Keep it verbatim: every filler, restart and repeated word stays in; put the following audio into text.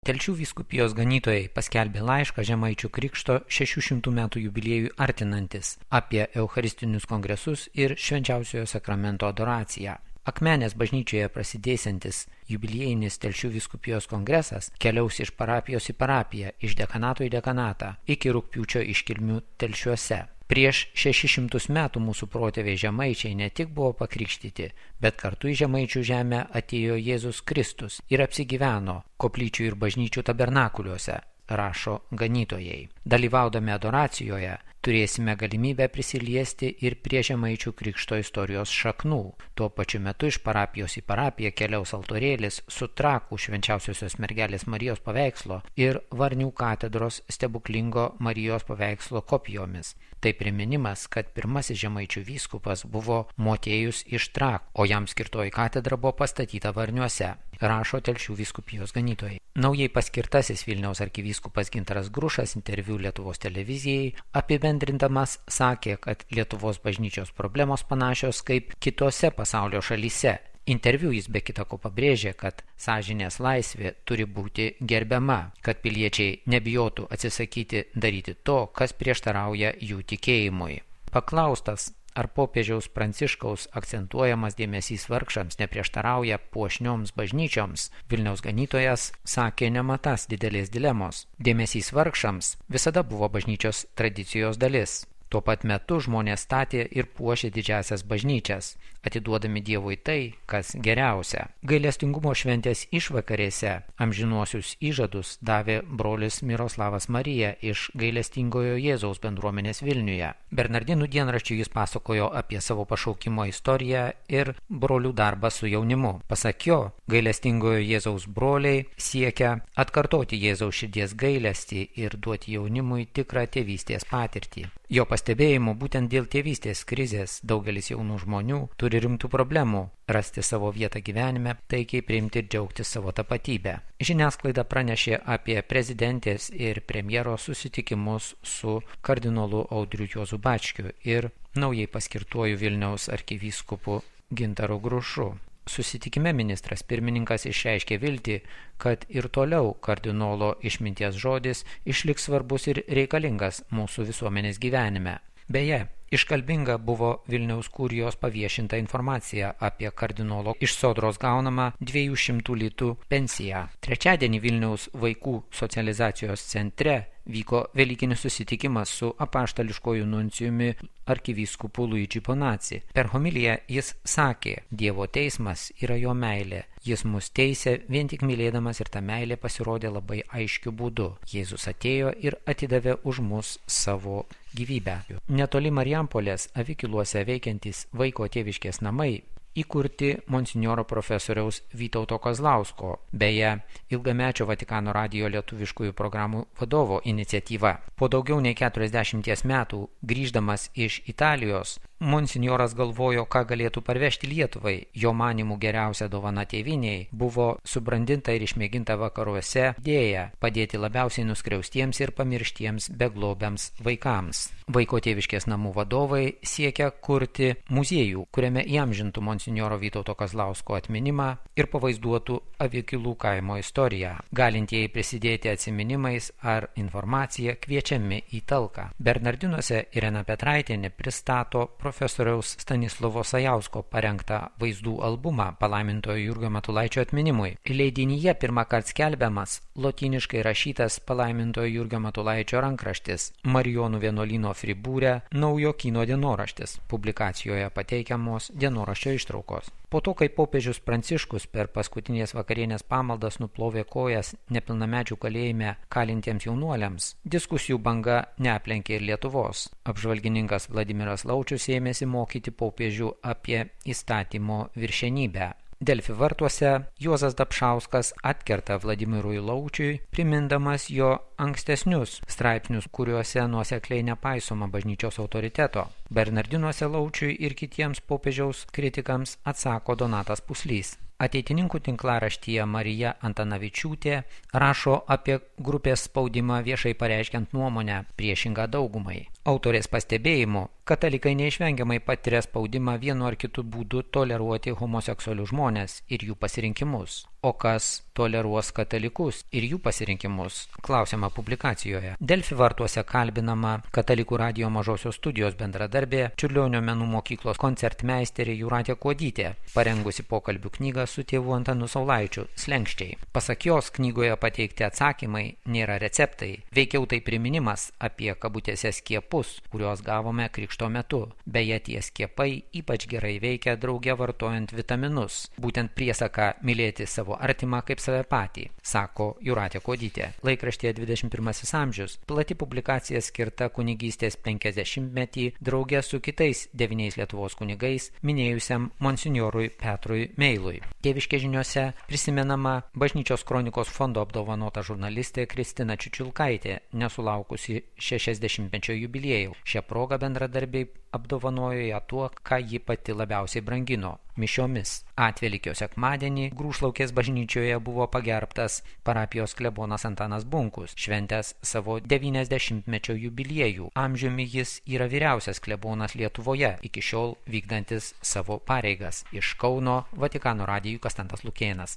Telšių vyskupijos ganytojai paskelbė laišką Žemaičių Krikšto šešių šimtų metų jubiliejui artinantis apie eucharistinius kongresus ir švenčiausiojo sakramento adoraciją. Akmenės bažnyčioje prasidėsiantis jubiliejinis Telšių vyskupijos kongresas keliaus iš parapijos į parapiją, iš dekanato į dekanatą, iki rugpjūčio iškilmių Telšiuose. Prieš šešis šimtus metų mūsų protėviai žemaičiai ne tik buvo pakrikštyti, bet kartu į Žemaičių žemę atėjo Jėzus Kristus ir apsigyveno koplyčių ir bažnyčių tabernakuliuose, rašo ganytojai. Dalyvaudami adoracijoje turėsime galimybę prisiliesti ir prie Žemaičių Krikšto istorijos šaknų. Tuo pačiu metu iš parapijos į parapiją keliaus altorėlis su Trakų švenčiausiosios mergelės Marijos paveikslo ir Varnių katedros stebuklingo Marijos paveikslo kopijomis. Tai priminimas, kad pirmasis Žemaičių vyskupas buvo Motiejus iš Trakų, o jam skirtoji katedra buvo pastatyta Varniuose, rašo Telšių vyskupijos ganytojai. Naujai paskirtasis Vilniaus arkivyskupas Gintaras Grušas interviu Lietuvos televizijai apibendrindamas sakė, kad Lietuvos bažnyčios problemos panašios kaip kitose pasaulio šalyse. Interviu jis be kita ko pabrėžė, kad sąžinės laisvė turi būti gerbiama, kad piliečiai nebijotų atsisakyti daryti to, kas prieštarauja jų tikėjimui. Paklaustas, ar popiežiaus Pranciškaus akcentuojamas dėmesys vargšams neprieštarauja puošnioms bažnyčioms, Vilniaus ganytojas sakė nematas didelės dilemos. Dėmesys vargšams visada buvo bažnyčios tradicijos dalis. Tuo pat metu žmonės statė ir puošė didžiasias bažnyčias, atiduodami Dievui tai, kas geriausia. Gailestingumo šventės išvakarėse amžinuosius įžadus davė brolis Miroslavas Marija iš Gailestingojo Jėzaus bendruomenės Vilniuje. Bernardinų dienraščiui jis pasakojo apie savo pašaukimo istoriją ir brolių darbą su jaunimu. Pasak jo, Gailestingojo Jėzaus broliai siekia atkartoti Jėzaus širdies gailestį ir duoti jaunimui tikrą tėvystės patirtį. Jo pastebėjimu, būtent dėl tėvystės krizės daugelis jaunų žmonių turi rimtų problemų rasti savo vietą gyvenime, taikiai priimti ir džiaugtis savo tapatybę. Žiniasklaida pranešė apie prezidentės ir premjero susitikimus su kardinolu Audriu Juozu Bačkiu ir naujai paskirtuoju Vilniaus arkivyskupu Gintaru Grušu. Susitikime ministras pirmininkas išreiškė viltį, kad ir toliau kardinolo išminties žodis išliks svarbus ir reikalingas mūsų visuomenės gyvenime. Beje, iškalbinga buvo Vilniaus kurijos paviešinta informacija apie kardinolo iš sodros gaunamą dviejų šimtų litų pensiją. Trečiadienį Vilniaus vaikų socializacijos centre vyko velykinis susitikimas su apaštališkoju nuncijumi arkivyskupu Luigi Bonazzi. Per homiliją jis sakė, Dievo teismas yra jo meilė. Jis mus teisė vien tik mylėdamas ir ta meilė pasirodė labai aiškiu būdu. Jėzus atėjo ir atidavė už mus savo gyvybę. Netoli Marijampolės Avikiluose veikiantys vaiko tėviškės namai įkurti monsinjoro profesoriaus Vytauto Kazlausko, beje, ilgamečio Vatikano radijo lietuviškųjų programų vadovo iniciatyva. Po daugiau nei keturiasdešimties metų, grįždamas iš Italijos, monsinjoras galvojo, ką galėtų parvežti Lietuvai. Jo manimų geriausia dovana tėvynei buvo subrandinta ir išmėginta vakaruose idėja padėti labiausiai nuskriaustiems ir pamirštiems beglobiams vaikams. Vaiko tėviškės namų vadovai siekia kurti muziejų, kuriame įamžintų monsinjoro Vytauto Kazlausko atminimą ir pavaizduotų Avikilų kaimo istoriją. Galintieji prisidėti atsiminimais ar informacija kviečiami į talką. Bernardinuose Irena Petraitienė pristato profesoriaus Stanislovo Sajausko parengtą vaizdų albumą palaimintojo Jurgio Matulaičio atminimui. Leidinyje pirmąkart skelbiamas lotyniškai rašytas palaimintojo Jurgio Matulaičio rankraštis Marijonų vienuolyno Fribūre Naujokyno dienoraštis. Publikacijoje pateikiamos dienoraščio ištraukos. Po to, kai popiežius Pranciškus per paskutinės vakarienės pamaldas nuplovė kojas nepilnamečių kalėjime kalintiems jaunuoliams, diskusijų banga neaplenkė ir Lietuvos. Apžvalgininkas Vladimiras Laučius ėmėsi mokyti popiežių apie įstatymo viršenybę. Delfi vartuose Juozas Dapšauskas atkerta Vladimirui Laučiui, primindamas jo ankstesnius straipsnius, kuriuose nuosekliai nepaisoma bažnyčios autoriteto. Bernardinuose Laučiui ir kitiems popiežiaus kritikams atsako Donatas Puslys. Ateitininkų tinklaraštyje Marija Antanavičiūtė rašo apie grupės spaudimą viešai pareiškiant nuomonę priešingą daugumai. Autorės pastebėjimu, katalikai neišvengiamai patiria spaudimą vienu ar kitu būdu toleruoti homoseksualius žmones ir jų pasirinkimus. o kas toleruos katalikus ir jų pasirinkimus, klausiama publikacijoje. Delfi vartuose kalbinama Katalikų radijo mažosios studijos bendradarbė, Čiurlionio menų mokyklos koncertmeisterė Jūratė Kuodytė, parengusi pokalbių knygą su tėvu Antanu Saulaičiu Slenkščiai. Pasak jos, knygoje pateikti atsakymai nėra receptai, veikiau tai priminimas apie kabutėse skiepus, kuriuos gavome krikšto metu. Beje, tie skiepai ypač gerai veikia drauge vartojant vitaminus, būtent priesaka mylėti savo artimą kaip save patį, sako Jūratė Kuodytė. Laikraštyje dvidešimt pirmasis amžius plati publikacija skirta kunigystės penkiasdešimtmetį drauge su kitais devyniais Lietuvos kunigais minėjusiam monsinjorui Petrui Meilui. Tėviškės žiniose prisimenama Bažnyčios kronikos fondo apdovanota žurnalistė Kristina Čiučiulkaitė, nesulaukusi šešiasdešimtmečio jubiliejų. Šią progą bendradarbiai apdovanojo ją tuo, ką ji pati labiausiai brangino – mišiomis. Atvelykio sekmadienį Grūšlaukės bažnyčioje buvo pagerbtas parapijos klebonas Antanas Bunkus, šventęs savo devyniasdešimtmečio jubiliejų. Amžiumi jis yra vyriausias klebonas Lietuvoje, iki šiol vykdantis savo pareigas. Iš Kauno Vatikano radijui Konstantas Lukėnas.